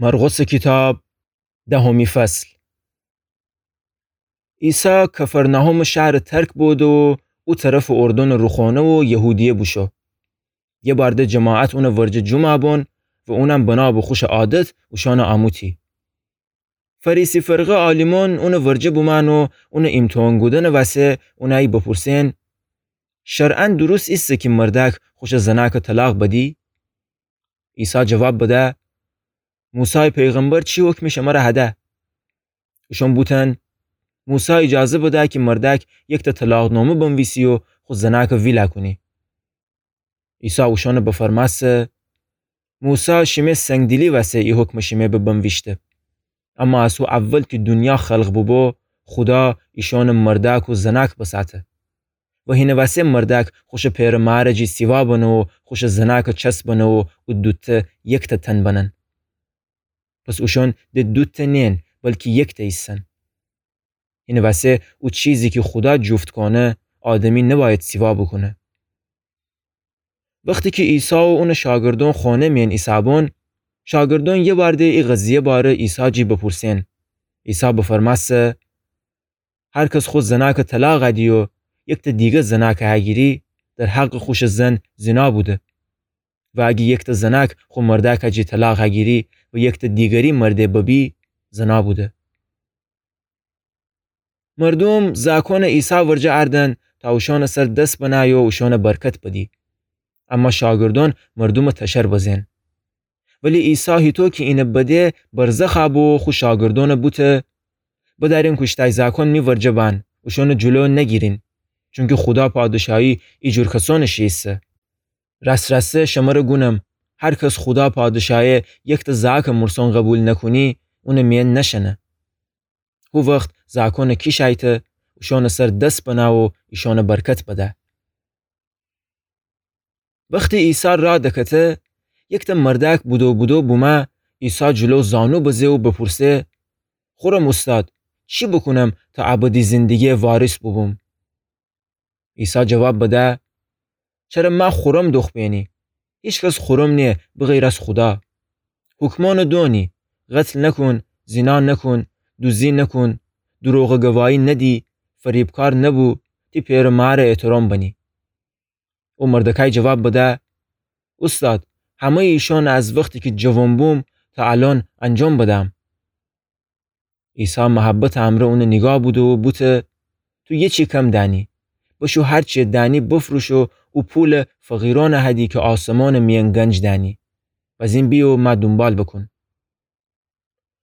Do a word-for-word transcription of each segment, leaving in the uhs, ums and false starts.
مرقسٚ کیتاب، دهمی فصل. عیسی کفرناحومٚ شهرٚ ترک بوده و او طرفٚ اردنٚ روخانه و یهودیه بوشو. یه بارده جماعت اونٚ ورجه جومعه بون و اونم بنا به خوشٚ عادت اوشانٚ آمو تی. فریسی فرقه عالیمون اونٚ ورجه بومأن و اونٚ ایمتحان کودنٚ وسه اونأیی بپورسئن: شرعاً درست ایسه کی مردأک خوشٚ زنأکٚ طلاق بدی؟ عیسی جواب بده: موسی پیغمبر چی حکمی شمره هده؟ اوشون بوتن: موسی ایجازه بده کی مردأک یکتأ طلاق‌نامه بنویسی و خو زنأکٚ ویلا کونی. عیسی اوشونٚ بفرمأسه: موسی شیمه سنگدیلی وسه ای حکمٚ شیمه ببنویشته. اما از هو اول کی دونیا خلق بوبو، خودا ایشأنٚ مردأک و زنأک بسأته. و هینٚ وسه مردأک خوشٚ پئرٚ مارٚ جی سیوا بنه و خوشٚ زنأکٚ چس بنه و او دوتأ یکتأ تن بنن. پس اوشون د دوتأ نئن، بلکی یکتأ ایسن. هینٚ وسه او چیزی کی خودا جوفت کونه، آدمی نبأید سیوا بوکونه. وختی کی عیسی و اونٚ شاگردون خانه میأن ایسهبون، شاگردون یه بارده ای قضیه باره عیسی جی بپورسئن. عیسی بفرمأسه: هر کس خو زنأکٚ طلاق هدی و یکتأ دیگه زنأک هگیری، در حقٚ خوشٚ زن زینا بوده. و اگه یکتأ زنأک خو مردأک جی طلاق هگیری و یکتأ دیگری مرده ببی، زنا بوده. مردوم زأکونٚ عیسی ورجه اردن تا اوشانٚ سر دس بنأی و اوشانٚ برکت بدی. اما شاگردون مردومٚ تشر بزئن. ولی عیسی هیطو کی اینه بده، برزخ بو و خو شاگردونٚ بوته: بدأرین کوشتأی زأکون می ورجه بأن، اوشونٚ جلو نگیرین، چونکی خودا پادشاهی ایجور کسونٚ شی ایسه. رأس رأسه شمره گونم، هر کس خودا پادشاهی یکتأ زأکٚ مورسون قبول نکونی، اونٚ میأن نشأنه. هو وخت زأکونٚ کیش ایته، اوشونٚ سر دس بنأ و ایشانٚ برکت بده. وختی عیسی رأ دکته، یکتأ مردأک بودو بودو بومه، عیسی جلو زانو بزه و بپورسه: خورم اوستاد، چی بوکونم تا ابدی زندگیٚ وارث بوبوم؟ عیسی جواب بده: چره مه خورم دوخ بینی؟ هیکس خورم نیه بغیر از خودا. حکمأنٚ دونی: قتل نکون، زینا نکون، دوزی نکون، دروغٚ گواهی ندی، فریبکار نبو، تی پئرٚ مارٚ احترام بنی. او مردکأی جواب بده: اوستاد، همه‌یٚ ایشانٚ از وختی کی جوان بوم تا الأن انجام بدم. عیسی محبتٚ امرأ اونٚ نیگاه بوده و بوته: تو یه چی کم دأنی. بشو هر چی دأنی بفروش و او پول فقیرأنٚ هدی کی آسمانٚ میأن گنج دأنی. بزین بی و مه دونبال بکون.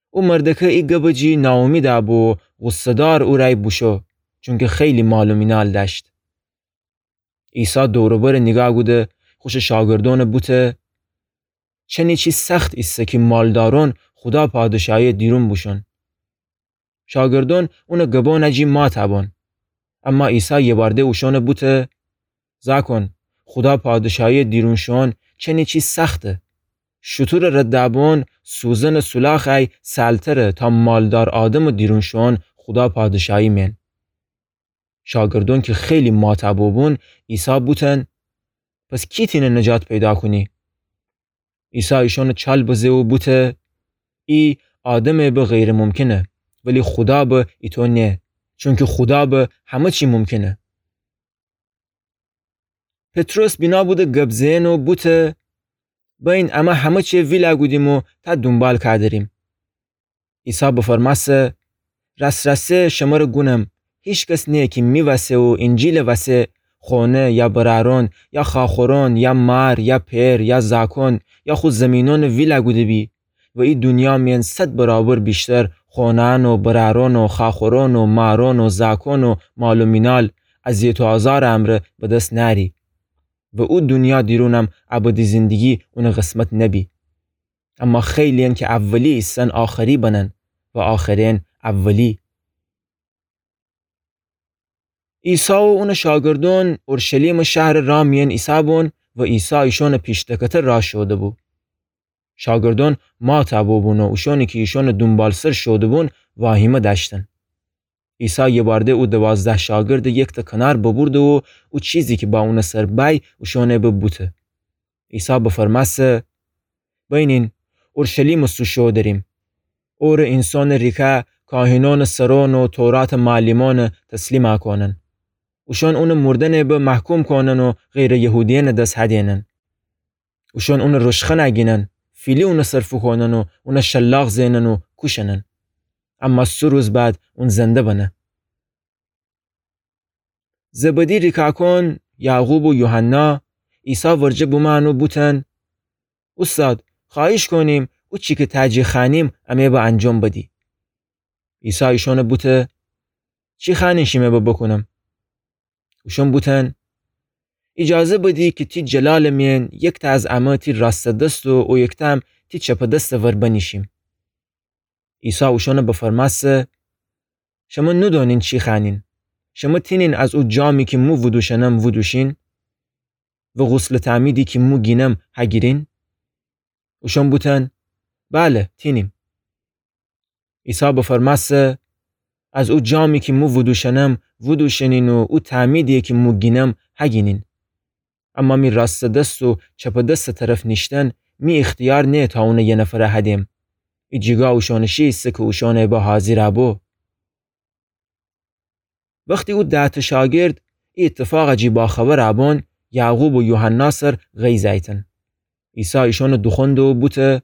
او مردکه ای گبٚ جی ناامیدٚ بو و غصه‌دار اورأی بوشو، چونکی خیلی مال و مینال دأشت. عیسی دور و برٚ نیگاه کوده، خوشٚ شاگردأنٚ بوته: چنی چی سخت ایسه کی مالدارأن خودا پادشاهیٚ دیرون بوشون. شاگردأن اونٚ گبأنٚ جی مات بون. اما عیسی یه بارده اوشأنٚ بوته: زأکون، خودا پادشاهیٚ دیرون شون چنی چی سخته. شوتورٚ رد بون سوزنٚ سولاخ ای سهلتره تا مالدار آدمٚ دیرون شون خودا پادشاهی میأن. شاگردأن کی خیلی مات بوبون، عیسی بوتن: پس کی تینه نجات پیدا کونی؟ عیسی ایشأنٚ چال بزه و بوته: ای آدمٚ به غیر ممکنه، ولی خودا به ایطو نیه، چونکی خودا به همه چی ممکنه. پطرس بینا بوده گب زئن و بوته: بأین امه همه چی ویلا کودیم و تا دونبال کودریم. عیسی بفرمأسه: رأس رأسه شمره گونم، هیکس نییه کی می وسه و اینجیلٚ وسه خانه یا برأرأن یا خواخورأن یا مار یا پئر یا زأکأن یا خو زیمینأنٚ ویلا کوده بی و ای دونیا میأن صد برابر ویشتر خانه‌أن و برأرأن و خواخورأن و مارأن و زأکأن و مال و مینال اذیت و آزارٚ امرأ به دس نأری و او دونیا دیرونم ابدی زندگی اونٚ قسمت نبی. اما خیلی‌یأن کی اولی ایسن آخری بنن و آخره‌یأن اولی. عیسی و اونٚ شاگردأن اورشلیمٚ شهرٚ راه میأن ایسه‌بون و عیسی ایشأنٚ پیش دکته راه شوده‌بو. شاگردأن مات بوبون و اوشأنی کی ایشأنٚ دونبالسر شوده‌بون واهیمه دأشتن. عیسی یه بارده او دوازده شاگردٚ یکتأ کنار ببورده و او چیزی کی با اونٚ سر بأی اوشأنٚ به بوته. عیسی بفرمأسه: بأینین، اورشلیمٚ سو شو دریم. اورٚ اینسانٚ ریکه کاهینأنٚ سرأن و توراتٚ معلمأن تسلیم کونن. اوشأن اونٚ مردنٚ به محکوم کونن و غیرٚ یهودیأنٚ دس هدینن. اوشأن اونٚ رشخنه گینن، فیلی اونٚ سر فوکونن و اون شلاق زئنن و کوشنن. اما سه روز بعد اون زنده بنه. زبدی ریکاکون، یعقوب و یوحنا، عیسی ورجه بومأن و بوتن: اوستاد، خوأهیش کونیم، او چی کی تأ جی خوأنیم، امه به انجام بدی. عیسی ایشأن بوته: چی خوأنین شیمه به بوکونم؟ اوشأن بوتن: ایجازه بدی کی تی جلالٚ میأن یکتأ از امه تی راستٚ دست و او یکتأ هم تی چپٚ دستٚ ور بنیشیم. عیسی اوشأن بفرمأسه: شمه نودونین چی خوأنین؟ شمه تینین از او جامی کی مو وودوشأنم وودوشین؟ و غسلٚ تعمیدی کی مو گینم هگیرین؟ اوشأن بوتن: بله، تینیم. عیسی بفرمأسه: از او جامی کی مو وودوشأنم وودوشأنین و او تعمیدی کی مو گینم هگینین. اما می راستٚ دست و چپٚ دستٚ طرف نیشتن می اختیار نیه تا اون یه نفر هدیم. ای جیگا اوشأنٚ شی ایسه کی اوشأن به حاضر بو. وختی او دهتأ شاگرد ای ایتفاق جی باخبر بون، یعقوب و یوحنا سر غیظ ایتن. عیسی ایشأن دوخوأنده و بوته: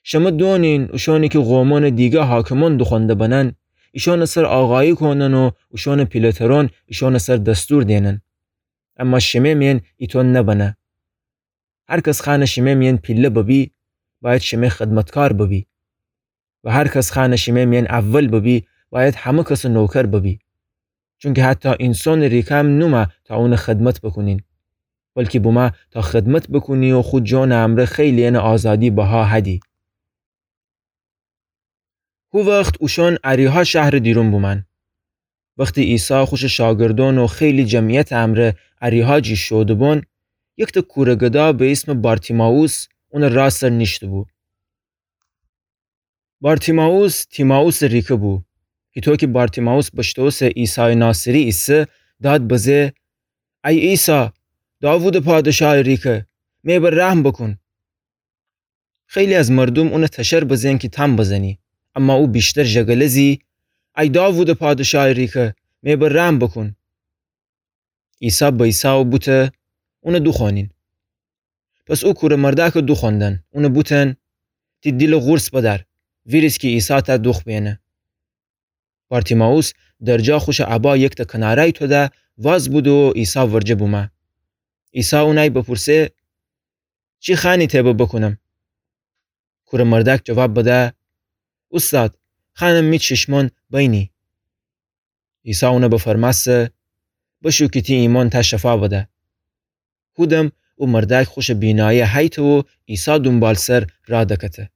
شمه دونین اوشأنی کی قومأنٚ دیگه حاکمأن دوخوأنده بنن، ایشأنٚ سر آقایی کونن و اوشأنٚ پیله‌ترأن ایشأنٚ سر دستور دینن. اما شیمه میأن ایطو نبنه. هر کس خوأنه شیمه میأن پیله ببی، بأید شیمه خدمتکار ببی. و هر کس خوأنه شیمه میأن اول ببی، بأید همه کسٚ نوکر ببی. چونکی حتی اینسانٚ ریکه هم نومه تا اونٚ خدمت بوکونین، بلکی بومه تا خدمت بوکونی و خو جانٚ امرأ خیلی‌یأنٚ آزادی بها هدی. هو وخت اوشأن اریحا شهرٚ دیرون بومأن. وختی عیسی خوشٚ شاگردأن و خیلی جمعیتٚ امرأ اریحا جی شوده‌بون، یکتأ کوره گدا به ایسمٚ بارتیمائوس اونٚ رأ سر نیشته‌بو. بارتیمائوس تیمائوسٚ ریکه بو. هیطو کی بارتیمائوس بشتوسه عیسایٚ ناصری ایسه، داد بزه: ای عیسی، داوودٚ پادشایٚ ریکه، می بر رحم بوکون. خیلی از مردوم اون تشر بزئن کی تام بزنی، اما او ویشتر ژگله زی: ای داوودٚ پادشایٚ ریکه، می بر رحم بوکون. عیسی بأیسه و بوته: اون دوخوأنین. پس او کوره مردأک دوخوأندن، اون بوتن: تی دیل قورص بدأر، ویریز کی عیسی تأ دوخت بینه. بارتیمائوس درجا خوشٚ ابا یکتأ کناره‌ی توده، واز بوده و عیسی ورجه بومه. عیسی اونأی بپورسه: چی خوأنی تی به بوکونم؟ کوره مردأک جواب بده: اوستاد، خوأنم می چشمأن بینی. عیسی اون بفرمأسه: بشو کی تی ایمأن تأ شفا بده. هودم او مردأک خوشٚ بینایی هیته و عیسی دونبالسر رأ دکته.